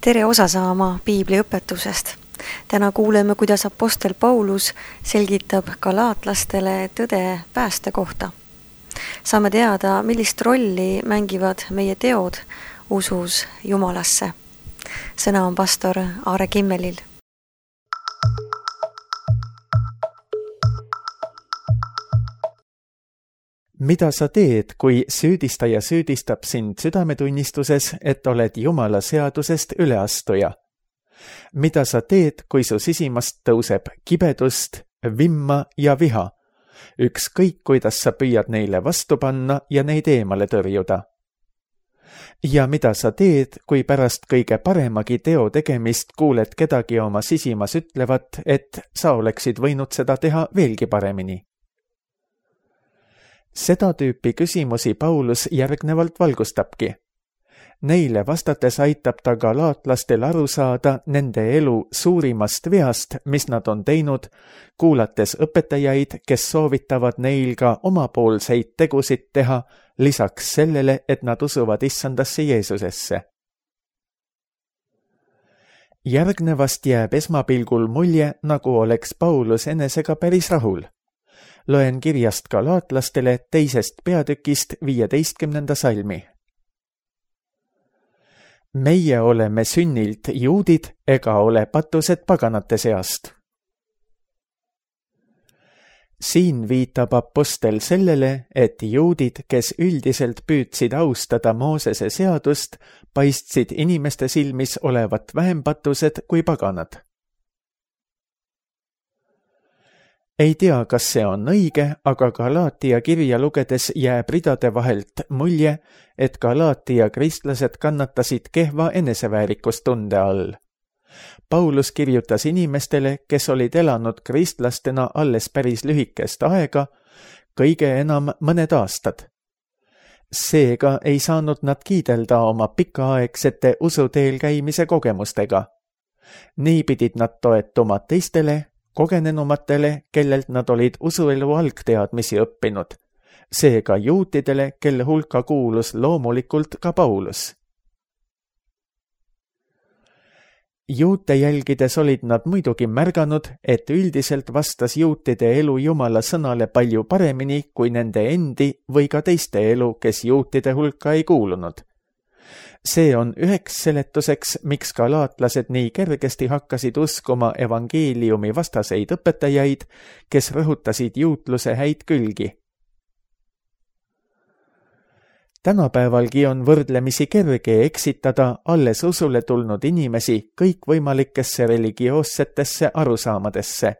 Tere osa saama Piibli õpetusest. Täna kuuleme, kuidas apostel Paulus selgitab galaatlastele tõde pääste kohta. Saame teada, millist rolli mängivad meie teod usus Jumalasse. Sõna on pastor Aare Kimmelil. Mida sa teed, kui süüdistaja süüdistab sind südametunnistuses, et oled Jumala seadusest üleastuja? Mida sa teed, kui su sisimast tõuseb kibedust, vimma ja viha? Ükskõik, kuidas sa püüad neile vastu panna ja neid eemale tõrjuda. Ja mida sa teed, kui pärast kõige paremagi teo tegemist kuuled kedagi oma sisimas ütlevat, et sa oleksid võinud seda teha veelgi paremini? Seda tüüpi küsimusi Paulus järgnevalt valgustabki. Neile vastates aitab ta galaatlastel aru saada nende elu suurimast veast, mis nad on teinud, kuulates õpetajaid, kes soovitavad neil ka omapoolseid tegusid teha, lisaks sellele, et nad usuvad Issandasse Jeesusesse. Järgnevast jääb esmapilgul mulje, nagu oleks Paulus enesega päris rahul. Loen kirjast galaatlastele 2. peatükist 15. salmi. Meie oleme sünnilt juudid ega ole patused paganate seast. Siin viitab apostel sellele, et juudid, kes üldiselt püüdsid austada Moosese seadust, paistsid inimeste silmis olevat vähem patused kui paganad. Ei tea, kas see on õige, aga Galaatia kirja lugedes jääb ridade vahelt mulje, et Galaatia kristlased kannatasid kehva eneseväärikustunde all. Paulus kirjutas inimestele, kes olid elanud kristlastena alles päris lühikest aega, kõige enam mõned aastad. Seega ei saanud nad kiidelda oma pikaaegsete usuteel käimise kogemustega. Nii pidid nad toetuma teistele, kogenenumatele, kellelt nad olid usuelu algteadmisi õppinud, seega juutidele, kelle hulka kuulus loomulikult ka Paulus. Juute jälgides olid nad muidugi märganud, et üldiselt vastas juutide elu Jumala sõnale palju paremini kui nende endi või ka teiste elu, kes juutide hulka ei kuulunud. See on üheks seletuseks, miks galaatlased nii kergesti hakkasid uskuma evangeeliumi vastaseid õpetajaid, kes rõhutasid juutluse häid külgi. Tänapäevalgi on võrdlemisi kerge eksitada alles usule tulnud inimesi kõikvõimalikesse religioossetesse arusaamadesse.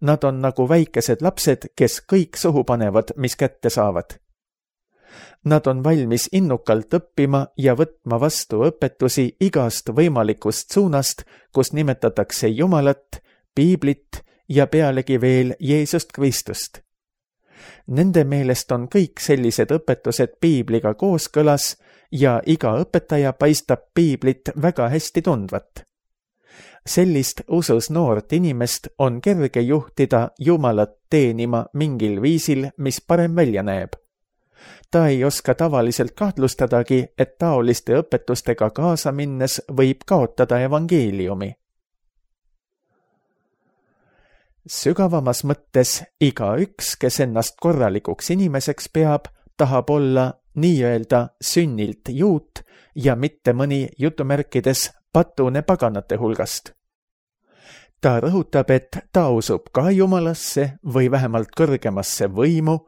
Nad on nagu väikesed lapsed, kes kõik suhu panevad, mis kätte saavad. Nad on valmis innukalt õppima ja võtma vastu õpetusi igast võimalikust suunast, kus nimetatakse Jumalat, Piiblit ja pealegi veel Jeesust Kristust. Nende meelest on kõik sellised õpetused Piibliga kooskõlas ja iga õpetaja paistab Piiblit väga hästi tundvat. Sellist usus noort inimest on kerge juhtida Jumalat teenima mingil viisil, mis parem välja näeb. Ta ei oska tavaliselt kahtlustadagi, et taoliste õpetustega kaasa minnes võib kaotada evangeeliumi. Sügavamas mõttes igaüks, kes ennast korralikuks inimeseks peab, tahab olla nii-öelda sünnilt juut ja mitte mõni jutumärkides patune paganate hulgast. Ta rõhutab, et ta usub ka Jumalasse või vähemalt kõrgemasse võimu,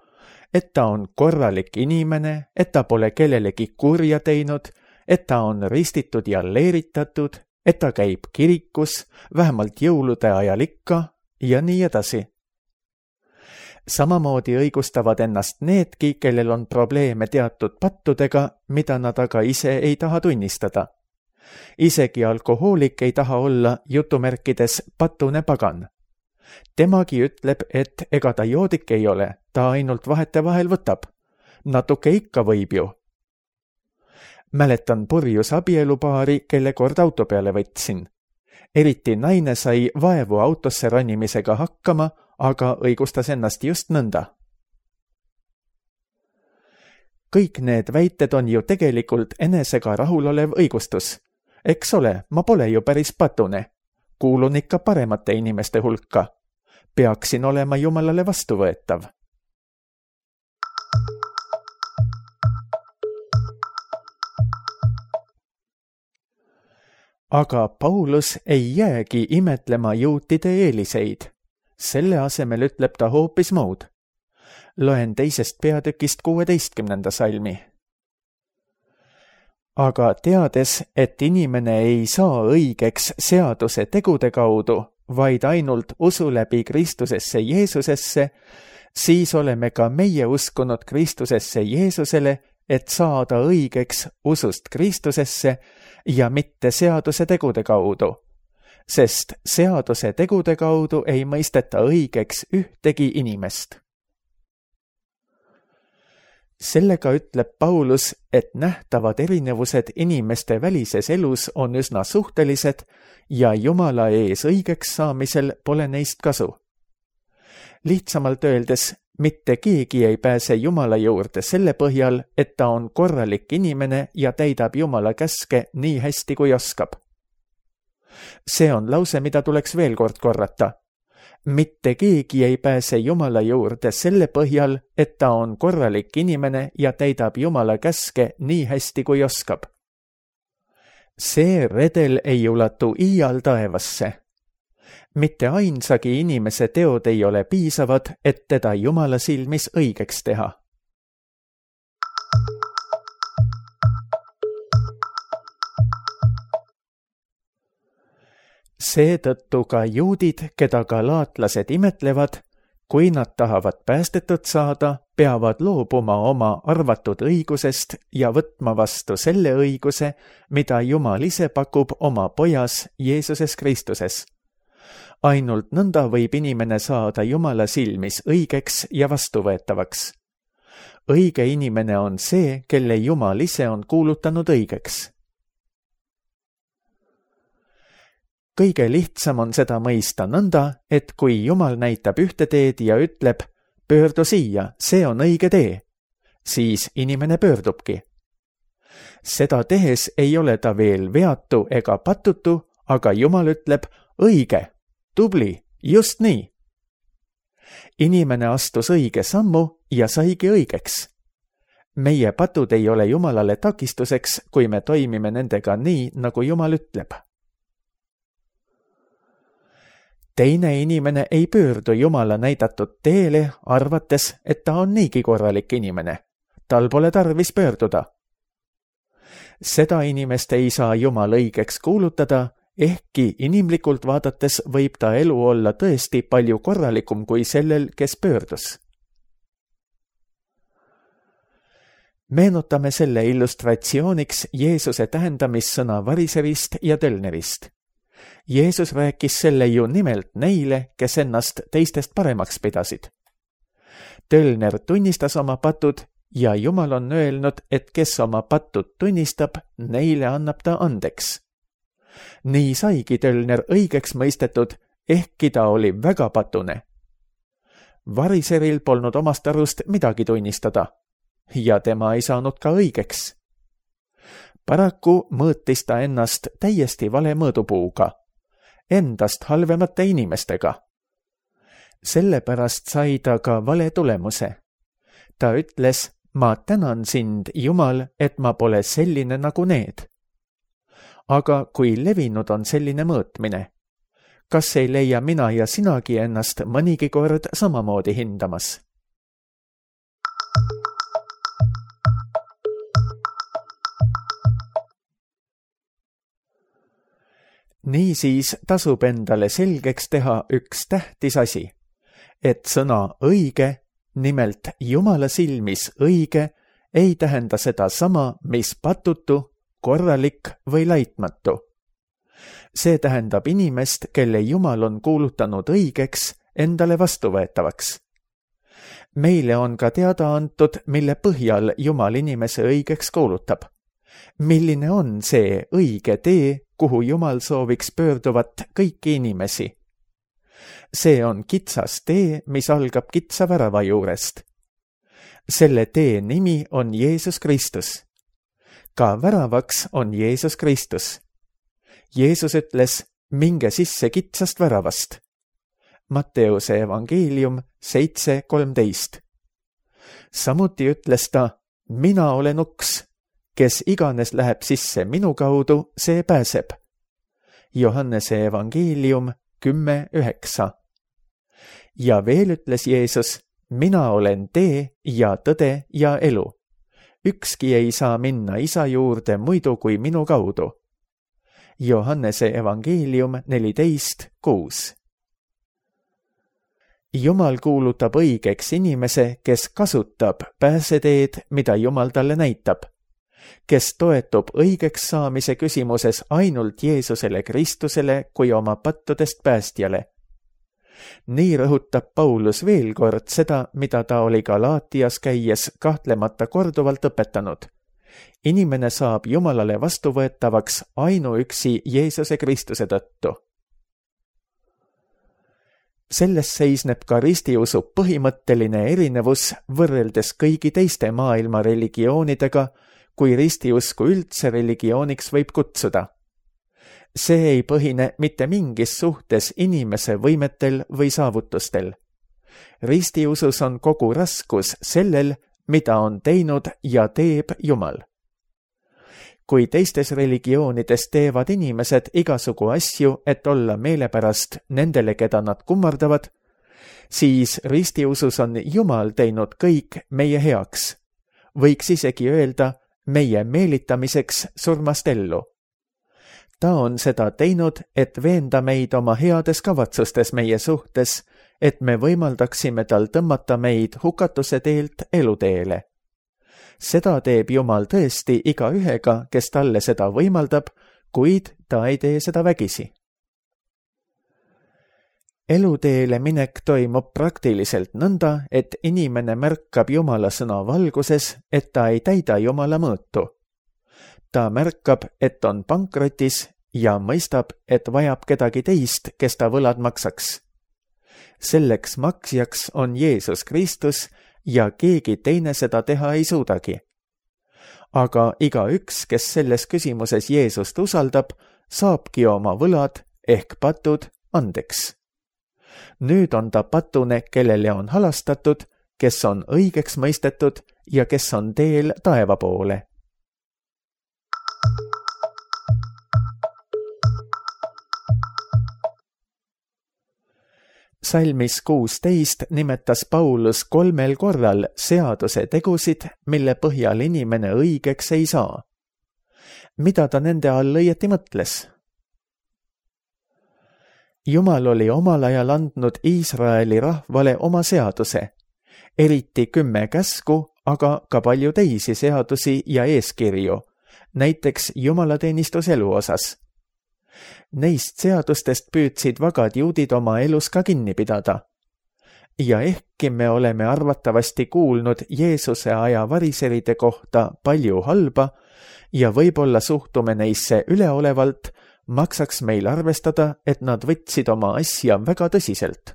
et ta on korralik inimene, et ta pole kellelegi kurja teinud, et ta on ristitud ja leeritatud, et ta käib kirikus, vähemalt jõulude ajal ikka ja nii edasi. Samamoodi õigustavad ennast needki, kellel on probleeme teatud pattudega, mida nad aga ise ei taha tunnistada. Isegi alkohoolik ei taha olla jutumärkides patune pagan. Temagi ütleb, et ega ta joodik ei ole, ta ainult vahetevahel võtab. Natuke ikka võib ju. Mäletan purjus abielupaari, kelle kord auto peale võtsin. Eriti naine sai vaevu autosse ronimisega hakkama, aga õigustas ennast just nõnda. Kõik need väited on ju tegelikult enesega rahulolev õigustus. Eks ole, ma pole ju päris patune. Kuulun ikka paremate inimeste hulka. Peaksin olema Jumalale vastuvõetav. Aga Paulus ei jäägi imetlema juutide eeliseid. Selle asemel ütleb ta hoopis muud. Loen 2. peatükist 16. salmi. Aga teades, et inimene ei saa õigeks seaduse tegude kaudu, vaid ainult usu läbi Kristusesse Jeesusesse, siis oleme ka meie uskunud Kristusesse Jeesusele, et saada õigeks usust Kristusesse ja mitte seaduse tegude kaudu, sest seaduse tegude kaudu ei mõisteta õigeks ühtegi inimest. Sellega ütleb Paulus, et nähtavad erinevused inimeste välises elus on üsna suhtelised ja Jumala ees õigeks saamisel pole neist kasu. Lihtsamalt öeldes, mitte keegi ei pääse Jumala juurde selle põhjal, et ta on korralik inimene ja täidab Jumala käske nii hästi kui oskab. See on lause, mida tuleks veel kord korrata. Mitte keegi ei pääse Jumala juurde selle põhjal, et ta on korralik inimene ja täidab Jumala käske nii hästi kui oskab. See redel ei ulatu iial taevasse. Mitte ainsagi inimese teod ei ole piisavad, et teda Jumala silmis õigeks teha. Seetõttu ka juudid, keda galaatlased imetlevad, kui nad tahavad päästetud saada, peavad loobuma oma arvatud õigusest ja võtma vastu selle õiguse, mida Jumal ise pakub oma pojas Jeesuses Kristuses. Ainult nõnda võib inimene saada Jumala silmis õigeks ja vastuvõetavaks. Õige inimene on see, kelle Jumal ise on kuulutanud õigeks. Kõige lihtsam on seda mõista nõnda, et kui Jumal näitab ühte teed ja ütleb, pöördu siia, see on õige tee, siis inimene pöördubki. Seda tehes ei ole ta veel veatu ega patutu, aga Jumal ütleb, õige, tubli, just nii. Inimene astus õige sammu ja saigi õigeks. Meie patud ei ole Jumalale takistuseks, kui me toimime nendega nii, nagu Jumal ütleb. Teine inimene ei pöördu Jumala näidatud teele, arvates, et ta on niigi korralik inimene. Tal pole tarvis pöörduda. Seda inimest ei saa Jumal õigeks kuulutada, ehkki inimlikult vaadates võib ta elu olla tõesti palju korralikum kui sellel, kes pöördus. Meenutame selle illustratsiooniks Jeesuse tähendamissõna varisevist ja tölnerist. Jeesus rääkis selle ju nimelt neile, kes ennast teistest paremaks pidasid. Tölner tunnistas oma patud ja Jumal on öelnud, et kes oma patud tunnistab, neile annab ta andeks. Nii saigi tölner õigeks mõistetud, ehkki ta oli väga patune. Varisevil polnud omast arust midagi tunnistada ja tema ei saanud ka õigeks. Paraku mõõtis ta ennast täiesti vale mõõdupuuga, endast halvemate inimestega. Sellepärast sai ta ka vale tulemuse. Ta ütles, ma tänan sind, Jumal, et ma pole selline nagu need. Aga kui levinud on selline mõõtmine, kas ei leia mina ja sinagi ennast mõnigi kord samamoodi hindamas? Niisiis tasub endale selgeks teha üks tähtis asi, et sõna õige, nimelt Jumala silmis õige, ei tähenda seda sama, mis patutu, korralik või laitmatu. See tähendab inimest, kelle Jumal on kuulutanud õigeks, endale vastuvõetavaks. Meile on ka teada antud, mille põhjal Jumal inimese õigeks kuulutab. Milline on see õige tee, kuhu Jumal sooviks pöörduvat kõiki inimesi? See on kitsas tee, mis algab kitsa värava juurest. Selle tee nimi on Jeesus Kristus. Ka väravaks on Jeesus Kristus. Jeesus ütles, minge sisse kitsast väravast. Matteuse evangeelium 7:13. Samuti ütles ta, mina olen uks, kes iganes läheb sisse minu kaudu, see pääseb. Johannese evangeelium 10:9. Ja veel ütles Jeesus, mina olen tee ja tõde ja elu. Ükski ei saa minna isa juurde muidu kui minu kaudu. Johannese evangeelium 14:6. Jumal kuulutab õigeks inimese, kes kasutab pääseteed, mida Jumal talle näitab, kes toetub õigeks saamise küsimuses ainult Jeesusele Kristusele kui oma pattudest päästjale. Nii rõhutab Paulus veel kord seda, mida ta oli Galaatias käies kahtlemata korduvalt õpetanud. Inimene saab Jumalale vastuvõetavaks ainuüksi Jeesuse Kristuse tõttu. Selles seisneb ka ristiusu põhimõtteline erinevus võrreldes kõigi teiste maailma religioonidega, kui ristiusku üldse religiooniks võib kutsuda. See ei põhine mitte mingis suhtes inimese võimetel või saavutustel. Ristiusus on kogu raskus sellel, mida on teinud ja teeb Jumal. Kui teistes religioonides teevad inimesed igasugu asju, et olla meelepärast nendele, keda nad kummardavad, siis ristiusus on Jumal teinud kõik meie heaks. Võiks isegi öelda meie meelitamiseks surmast ellu. Ta on seda teinud, et veenda meid oma heades kavatsustes meie suhtes, et me võimaldaksime tal tõmmata meid hukatuse teelt eluteele. Seda teeb Jumal tõesti igaühega, kes talle seda võimaldab, kuid ta ei tee seda vägisi. Eluteele minek toimub praktiliselt nõnda, et inimene märkab Jumala sõna valguses, et ta ei täida Jumala mõõtu. Ta märkab, et on pankrotis ja mõistab, et vajab kedagi teist, kes ta võlad maksaks. Selleks maksjaks on Jeesus Kristus ja keegi teine seda teha ei suudagi. Aga igaüks, kes selles küsimuses Jeesust usaldab, saabki oma võlad ehk patud andeks. Nüüd on ta patune, kellele on halastatud, kes on õigeks mõistetud ja kes on teel taeva poole. Salmis 16 nimetas Paulus 3 korral seaduse tegusid, mille põhjal inimene õigeks ei saa. Mida ta nende all õieti mõtles? Jumal oli omal ajal andnud Iisraeli rahvale oma seaduse, eriti 10 käsku, aga ka palju teisi seadusi ja eeskirju, näiteks jumalateenistuselu osas. Neist seadustest püüdsid vagad juudid oma elus ka kinni pidada. Ja ehkki me oleme arvatavasti kuulnud Jeesuse aja variseride kohta palju halba ja võib-olla suhtume neisse üleolevalt, maksaks meil arvestada, et nad võtsid oma asja väga tõsiselt.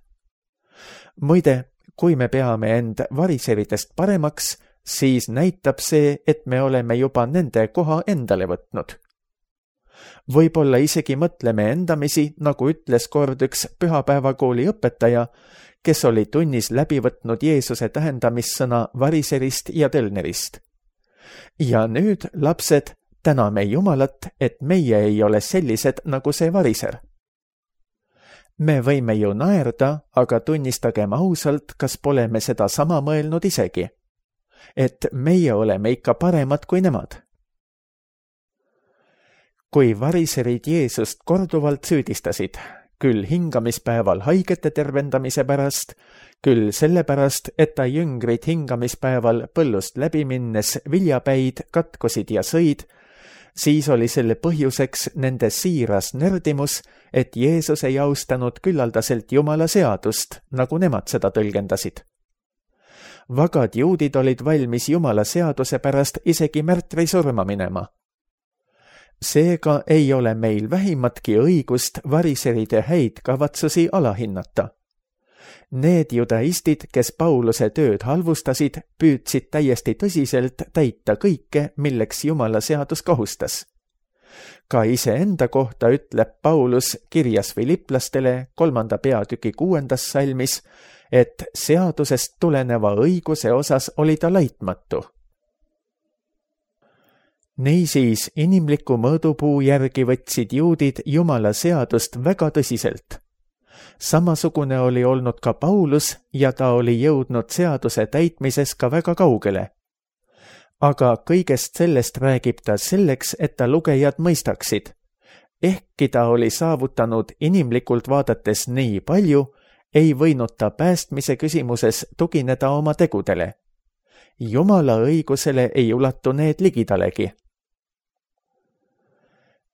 Muide, kui me peame end variseridest paremaks, siis näitab see, et me oleme juba nende koha endale võtnud. Võib-olla isegi mõtleme endamisi, nagu ütles kord üks pühapäevakooli õpetaja, kes oli tunnis läbi võtnud Jeesuse tähendamissõna variserist ja tölnerist. Ja nüüd, lapsed, täname Jumalat, et meie ei ole sellised nagu see variser. Me võime ju naerda, aga tunnistagem ausalt, kas pole me seda sama mõelnud isegi. Et meie oleme ikka paremad kui nemad. Kui variserid Jeesust korduvalt süüdistasid, küll hingamispäeval haigete tervendamise pärast, küll sellepärast, et ta jüngrid hingamispäeval põllust läbi minnes viljapäid katkusid ja sõid, siis oli selle põhjuseks nende siiras nördimus, et Jeesus ei austanud küllaldaselt Jumala seadust, nagu nemad seda tõlgendasid. Vagad juudid olid valmis Jumala seaduse pärast isegi märtrisurma minema. Seega ei ole meil vähimatki õigust variseride häid kavatsusi alahinnata. Need judaistid, kes Pauluse tööd halvustasid, püüdsid täiesti tõsiselt täita kõike, milleks Jumala seadus kohustas. Ka iseenda kohta ütleb Paulus kirjas Filiplastele 3. peatüki 6. salmis, et seadusest tuleneva õiguse osas oli ta laitmatu. Niisiis inimliku mõõdupuu järgi võtsid juudid Jumala seadust väga tõsiselt. Samasugune oli olnud ka Paulus ja ta oli jõudnud seaduse täitmises ka väga kaugele. Aga kõigest sellest räägib ta selleks, et ta lugejad mõistaksid. Ehkki ta oli saavutanud inimlikult vaadates nii palju, ei võinud ta päästmise küsimuses tugineda oma tegudele. Jumala õigusele ei ulatu need ligidalegi.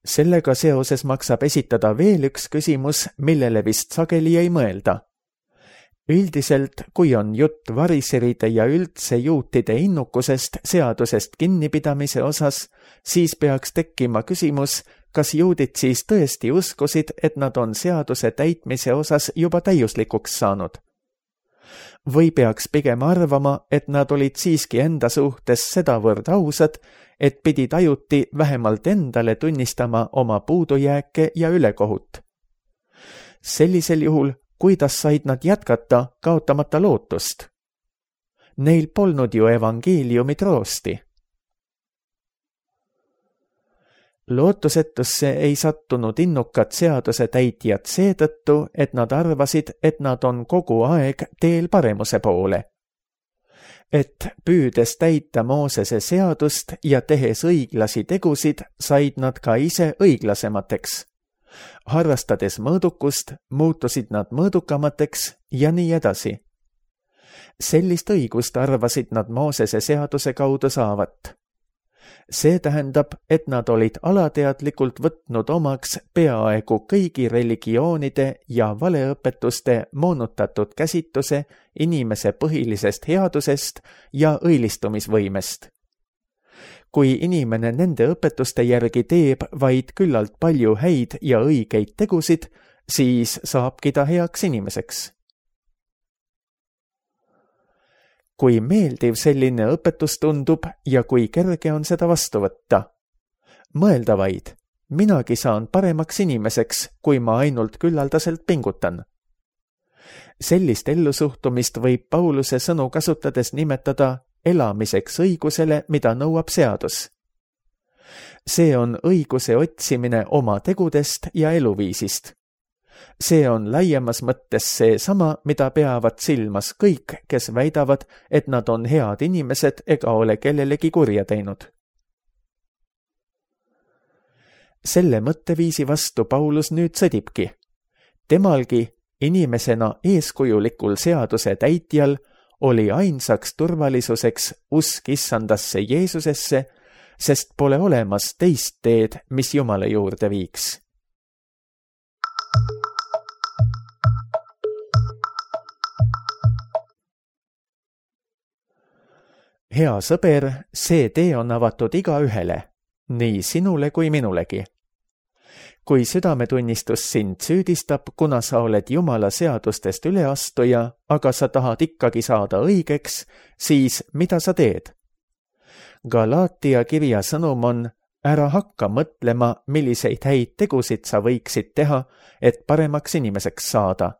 Sellega seoses maksab esitada veel üks küsimus, millele vist sageli ei mõelda. Üldiselt, kui on jutt variseride ja üldse juutide innukusest seadusest kinnipidamise osas, siis peaks tekkima küsimus, kas juudid siis tõesti uskusid, et nad on seaduse täitmise osas juba täiuslikuks saanud. Või peaks pigem arvama, et nad olid siiski enda suhtes sedavõrd ausad, et pidid ajuti vähemalt endale tunnistama oma puudujääke ja ülekohut. Sellisel juhul, kuidas said nad jätkata, kaotamata lootust? Neil polnud ju evangeeliumi troosti. Lootusetusse ei sattunud innukad seaduse täitjad seetõttu, et nad arvasid, et nad on kogu aeg teel paremuse poole. Et püüdes täita Moosese seadust ja tehes õiglasi tegusid, said nad ka ise õiglasemateks. Harrastades mõõdukust, muutusid nad mõõdukamateks ja nii edasi. Sellist õigust arvasid nad Moosese seaduse kaudu saavat. See tähendab, et nad olid alateadlikult võtnud omaks peaaegu kõigi religioonide ja valeõpetuste moonutatud käsitluse inimese põhilisest headusest ja õilistumisvõimest. Kui inimene nende õpetuste järgi teeb vaid küllalt palju häid ja õigeid tegusid, siis saabki ta heaks inimeseks. Kui meeldiv selline õpetus tundub ja kui kerge on seda vastu võtta. Mõelda vaid, minagi saan paremaks inimeseks, kui ma ainult küllaldaselt pingutan. Sellist ellusuhtumist võib Pauluse sõnu kasutades nimetada elamiseks õigusele, mida nõuab seadus. See on õiguse otsimine oma tegudest ja eluviisist. See on laiemas mõttes see sama, mida peavad silmas kõik, kes väidavad, et nad on head inimesed ega ole kellelegi kurja teinud. Selle mõtteviisi vastu Paulus nüüd sõdibki. Temalgi, inimesena eeskujulikul seaduse täitjal, oli ainsaks turvalisuseks usk issandasse Jeesusesse, sest pole olemas teist teed, mis Jumala juurde viiks. Hea sõber, see tee on avatud igaühele, nii sinule kui minulegi. Kui südametunnistus sind süüdistab, kuna sa oled Jumala seadustest üleastuja, aga sa tahad ikkagi saada õigeks, siis mida sa teed? Galaatia kirja sõnum on, ära hakka mõtlema, milliseid häid tegusid sa võiksid teha, et paremaks inimeseks saada.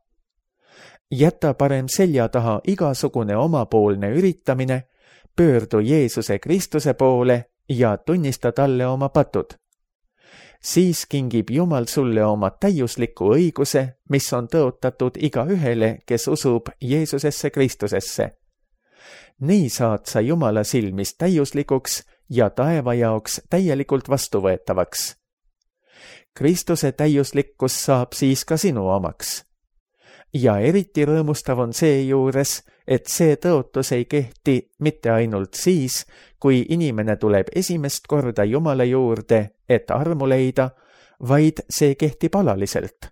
Jäta parem selja taha igasugune omapoolne üritamine, pöördu Jeesuse Kristuse poole ja tunnista talle oma patud. Siis kingib Jumal sulle oma täiusliku õiguse, mis on tõotatud igaühele, kes usub Jeesusesse Kristusesse. Nii saad sa Jumala silmis täiuslikuks ja taeva jaoks täielikult vastuvõetavaks. Kristuse täiuslikkus saab siis ka sinu omaks. Ja eriti rõõmustav on seejuures, et see tõotus ei kehti mitte ainult siis, kui inimene tuleb esimest korda Jumala juurde, et armu leida, vaid see kehtib alaliselt.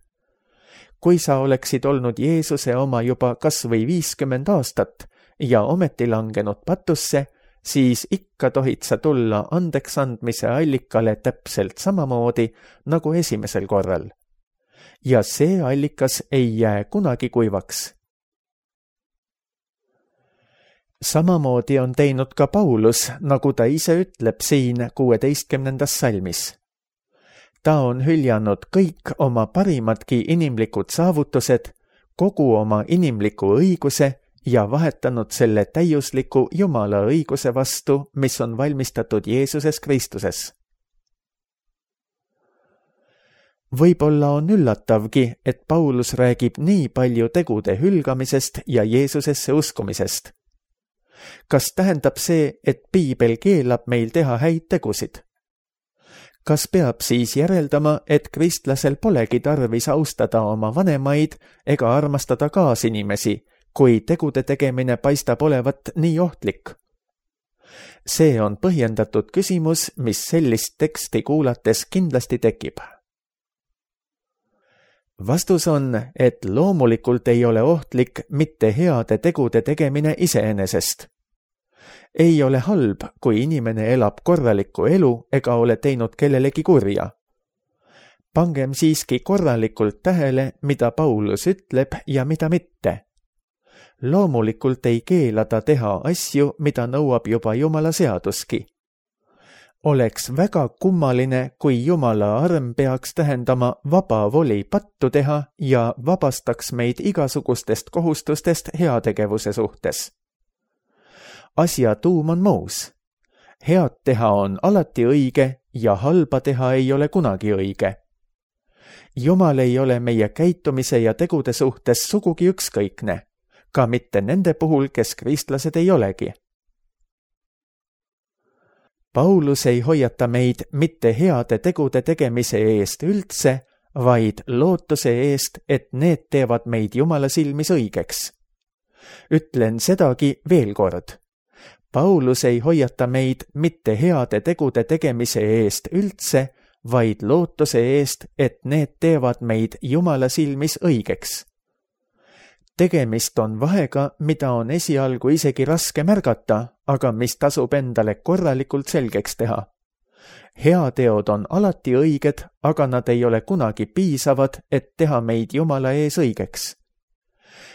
Kui sa oleksid olnud Jeesuse oma juba kas või 50 aastat ja ometi langenud patusse, siis ikka tohid sa tulla andeks andmise allikale täpselt samamoodi nagu esimesel korral. Ja see allikas ei jää kunagi kuivaks. Samamoodi on teinud ka Paulus, nagu ta ise ütleb siin 16. salmis. ta on hüljanud kõik oma parimadki inimlikud saavutused, kogu oma inimliku õiguse ja vahetanud selle täiusliku Jumala õiguse vastu, mis on valmistatud Jeesuses Kristuses. Võib-olla on üllatavgi, et Paulus räägib nii palju tegude hülgamisest ja Jeesusesse uskumisest. Kas tähendab see, et Piibel keelab meil teha häid tegusid? Kas peab siis järeldama, et kristlasel polegi tarvis austada oma vanemaid ega armastada kaasinimesi, kui tegude tegemine paistab olevat nii ohtlik? See on põhjendatud küsimus, mis sellist teksti kuulates kindlasti tekib. Vastus on, et loomulikult ei ole ohtlik mitte heade tegude tegemine iseenesest. Ei ole halb, kui inimene elab korralikku elu ega ole teinud kellelegi kurja. Pangem siiski korralikult tähele, mida Paulus ütleb ja mida mitte. Loomulikult ei keela ta teha asju, mida nõuab juba Jumala seaduski. Oleks väga kummaline, kui Jumala arm peaks tähendama vaba voli pattu teha ja vabastaks meid igasugustest kohustustest heategevuse suhtes. Asja tuum on muus. Head teha on alati õige ja halba teha ei ole kunagi õige. Jumal ei ole meie käitumise ja tegude suhtes sugugi ükskõikne, ka mitte nende puhul, kes kristlased ei olegi. Paulus ei hoiata meid mitte heade tegude tegemise eest üldse, vaid lootuse eest, et need teevad meid Jumala silmis õigeks. Ütlen sedagi veel kord. Paulus ei hoiata meid mitte heade tegude tegemise eest üldse, vaid lootuse eest, et need teevad meid Jumala silmis õigeks. Tegemist on vahega, mida on esialgu isegi raske märgata, aga mis tasub endale korralikult selgeks teha. Heateod on alati õiged, aga nad ei ole kunagi piisavad, et teha meid Jumala ees õigeks.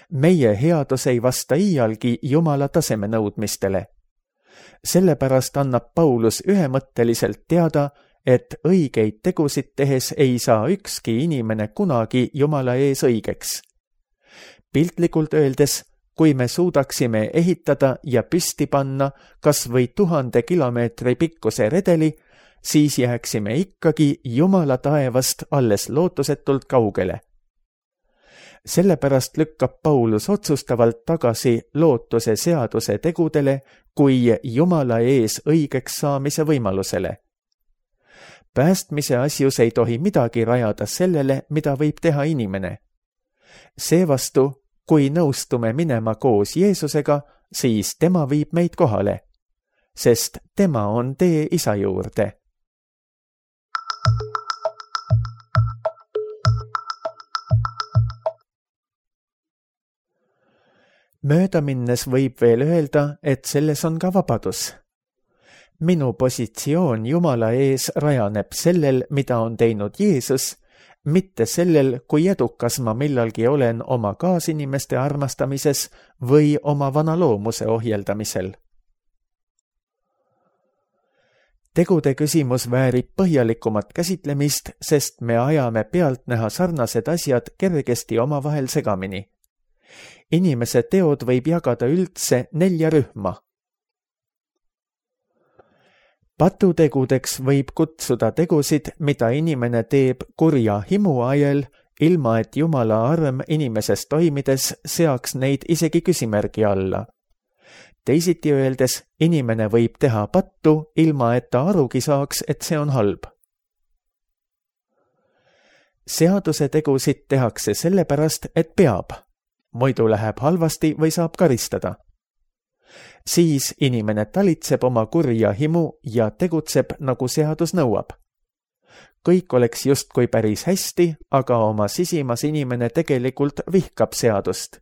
Meie headus ei vasta iialgi Jumala taseme nõudmistele. Sellepärast annab Paulus ühemõtteliselt teada, et õigeid tegusid tehes ei saa ükski inimene kunagi Jumala ees õigeks. Piltlikult öeldes, kui me suudaksime ehitada ja püsti panna kas või 1000 kilomeetri pikkuse redeli, siis jääksime ikkagi Jumala taevast alles lootusetult kaugele. Sellepärast lükkab Paulus otsustavalt tagasi lootuse seaduse tegudele kui Jumala ees õigeks saamise võimalusele. Päästmise asjus ei tohi midagi rajada sellele, mida võib teha inimene. Seevastu, kui nõustume minema koos Jeesusega, siis tema viib meid kohale, sest tema on tee Isa juurde. Mööda minnes võib veel öelda, et selles on ka vabadus. Minu positsioon Jumala ees rajaneb sellel, mida on teinud Jeesus, mitte sellel, kui edukas ma millalgi olen oma kaasinimeste armastamises või oma vana loomuse ohjeldamisel. Tegude küsimus väärib põhjalikumat käsitlemist, sest me ajame pealtnäha sarnased asjad kergesti omavahel segamini. Inimese teod võib jagada üldse 4 rühma. Patutegudeks võib kutsuda tegusid, mida inimene teeb kurja himu ajel, ilma et Jumala arm inimeses toimides seaks neid isegi küsimärgi alla. Teisiti öeldes, inimene võib teha pattu, ilma et ta arugi saaks, et see on halb. Seaduse tegusid tehakse sellepärast, et peab. Muidu läheb halvasti või saab karistada. Siis inimene talitseb oma kurja himu ja tegutseb, nagu seadus nõuab. Kõik oleks justkui päris hästi, aga oma sisimas inimene tegelikult vihkab seadust.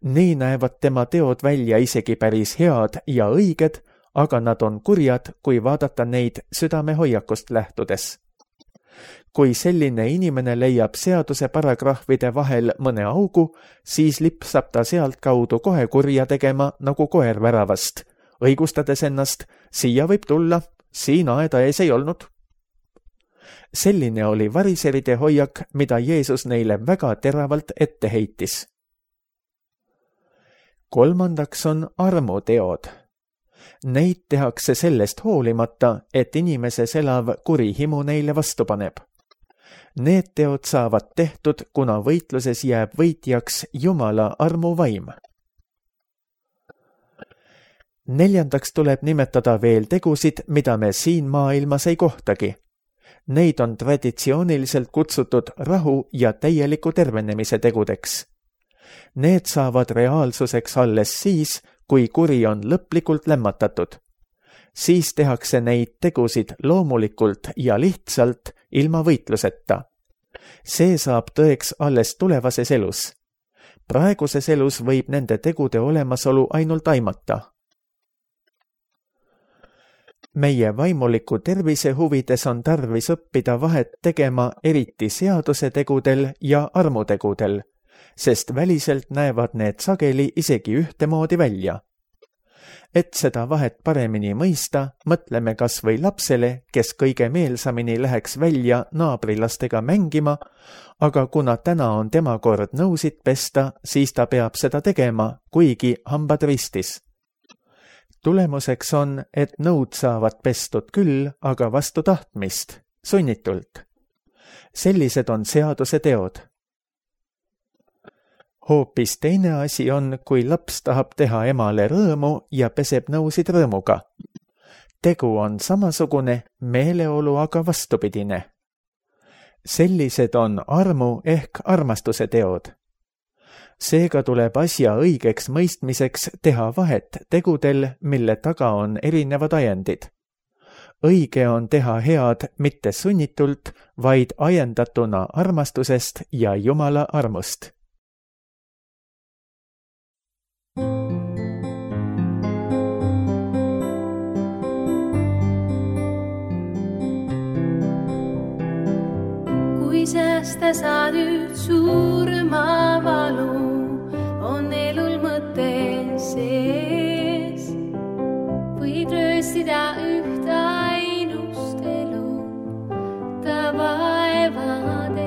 Nii näevad tema teod välja isegi päris head ja õiged, aga nad on kurjad, kui vaadata neid südamehoiakust lähtudes. Kui selline inimene leiab seaduse paragrahvide vahel mõne augu, siis lipsab ta sealt kaudu kohe kurja tegema nagu koer väravast, õigustades ennast, siia võib tulla, siin aeda ees ei olnud. Selline oli variseride hoiak, mida Jeesus neile väga teravalt ette heitis. Kolmandaks on armuteod. Neid tehakse sellest hoolimata, et inimeses elav kuri himu neile vastu paneb. Need teod saavad tehtud, kuna võitluses jääb võitjaks Jumala armuvaim. Neljandaks tuleb nimetada veel tegusid, mida me siin maailmas ei kohtagi. Neid on traditsiooniliselt kutsutud rahu ja täieliku tervenemise tegudeks. Need saavad reaalsuseks alles siis, kui kuri on lõplikult lämmatatud. Siis tehakse neid tegusid loomulikult ja lihtsalt ilma võitluseta. See saab tõeks alles tulevases elus. Praeguses elus võib nende tegude olemasolu ainult aimata. Meie vaimuliku tervise huvides on tarvis õppida vahet tegema eriti seaduse tegudel ja armutegudel, sest väliselt näevad need sageli isegi ühtemoodi välja. Et seda vahet paremini mõista, mõtleme kas või lapsele, kes kõige meelsamini läheks välja naabrilastega mängima, aga kuna täna on tema kord nõusid pesta, siis ta peab seda tegema, kuigi hambad ristis. Tulemuseks on, et nõud saavad pestud küll, aga vastu tahtmist, sunnitult. Sellised on seaduse teod. Hoopis teine asi on, kui laps tahab teha emale rõõmu ja peseb nõusid rõõmuga. Tegu on samasugune, meeleolu aga vastupidine. Sellised on armu ehk armastuse teod. Seega tuleb asja õigeks mõistmiseks teha vahet tegudel, mille taga on erinevad ajendid. Õige on teha head mitte sunnitult, vaid ajendatuna armastusest ja Jumala armust. Kui säästa saad nüüd surma valu, on elul mõte sees. Võid röösida üht ainust elu ta vaevades.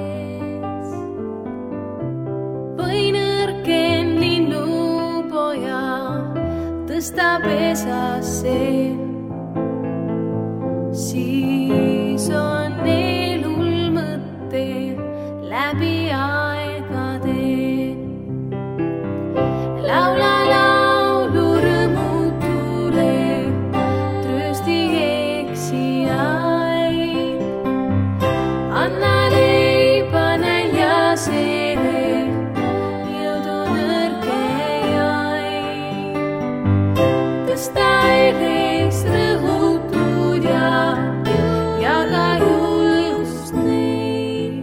Või nõrken linnupoja tõsta pesasse, siis on elul mõte läbi aegade. Laula laulu rõõmutule, tröösti eksijaid. Anna leiba näljasele, jõudu nõrkejaid. Tõsta üles rõhutud ja jaga julgust neid,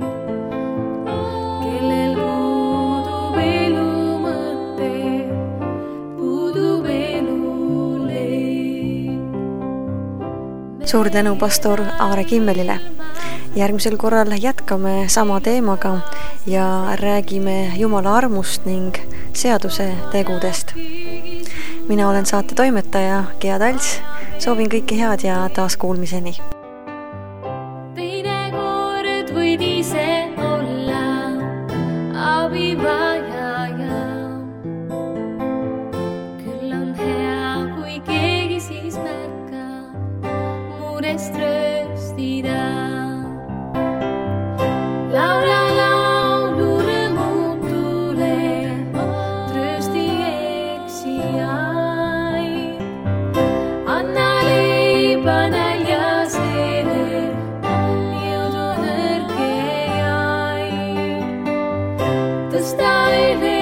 kellel puudub elu mõte, puudub eluleib. Suur tänu pastor Aare Kimmelile. Järgmisel korral jätkame sama teemaga ja räägime Jumala armust ning seaduse tegudest. Mina olen saate toimetaja Gea Talts. Soovin kõike head ja taas kuulmiseni. Teine kord võid ise olla abivajaja. Küll on hea, kui keegi siis märkab murest rööstida. Laula laulu rõõmutule, tröösti eksijaid. Anna leiba näljasele, jõudu nõrkejaid. Tõsta üle